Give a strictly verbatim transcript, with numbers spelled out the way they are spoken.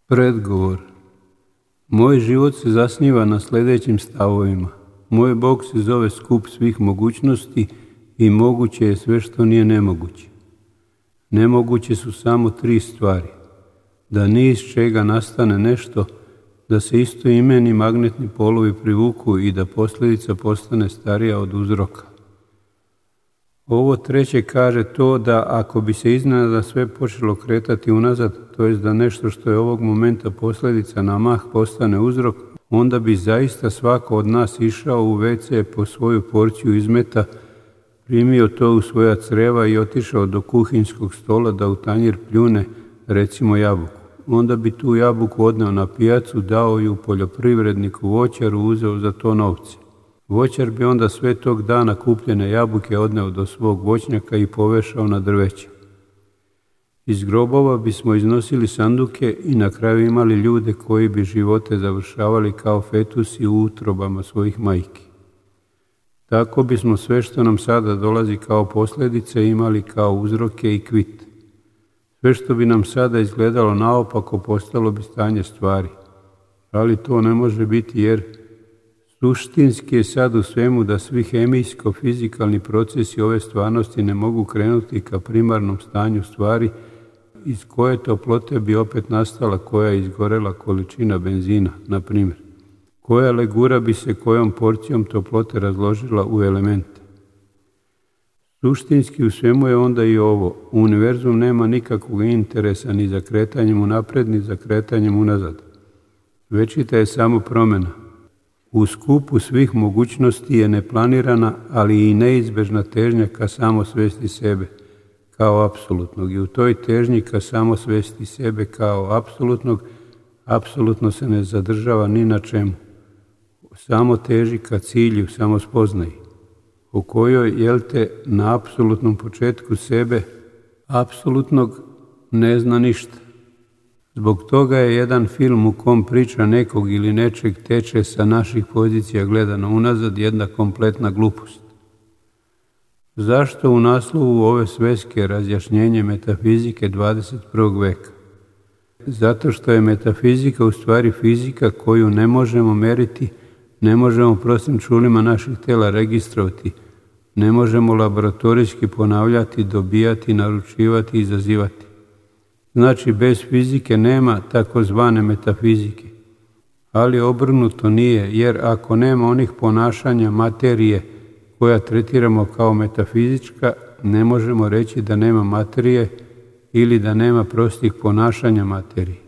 Predgovor. Moj život se zasniva na sljedećim stavovima. Moj Bog se zove skup svih mogućnosti i moguće je sve što nije nemoguće. Nemoguće su samo tri stvari. Da ni iz čega nastane nešto, da se istoimeni magnetni polovi privuku i da posljedica postane starija od uzroka. Ovo treće kaže to da ako bi se iznenada sve počelo kretati unazad, to jest da nešto što je ovog momenta posljedica na mah postane uzrok, onda bi zaista svako od nas išao u ve ce po svoju porciju izmeta, primio to u svoja creva i otišao do kuhinjskog stola da u tanjir pljune, recimo jabuku. Onda bi tu jabuku odneo na pijacu, dao ju poljoprivredniku voćaru, uzeo za to novce. Voćar bi onda sve tog dana kupljene jabuke odneo do svog voćnjaka i povešao na drveće. Iz grobova bismo iznosili sanduke i na kraju imali ljude koji bi živote završavali kao fetusi u utrobama svojih majki. Tako bismo sve što nam sada dolazi kao posljedice imali kao uzroke i kvit. Sve što bi nam sada izgledalo naopako postalo bi stanje stvari. Ali to ne može biti jer suštinski je sad u svemu da svi hemijsko-fizikalni procesi ove stvarnosti ne mogu krenuti ka primarnom stanju stvari iz koje toplote bi opet nastala koja je izgorela količina benzina, na primjer. Koja legura bi se kojom porcijom toplote razložila u elemente. Suštinski u svemu je onda i ovo. Univerzum nema nikakvog interesa ni za kretanjem unapred, ni za kretanjem unazad. Večita je samo promjena. U skupu svih mogućnosti je neplanirana, ali i neizbežna težnja ka samosvesti sebe, kao apsolutnog. I u toj težnji ka samosvesti sebe kao apsolutnog, apsolutno se ne zadržava ni na čemu. Samo teži ka cilju, samo spoznaji, u kojoj, jel te, na apsolutnom početku sebe, apsolutnog, ne zna ništa. Zbog toga je jedan film u kom priča nekog ili nečeg teče sa naših pozicija gledano unazad jedna kompletna glupost. Zašto u naslovu ove sveske razjašnjenje metafizike dvadeset prvog veka? Zato što je metafizika u stvari fizika koju ne možemo meriti, ne možemo prostim čulima naših tela registrovati, ne možemo laboratorijski ponavljati, dobijati, naručivati i izazivati. Znači, bez fizike nema takozvane metafizike. Ali obrnuto nije, jer ako nema onih ponašanja materije koja tretiramo kao metafizička, ne možemo reći da nema materije ili da nema prostih ponašanja materije.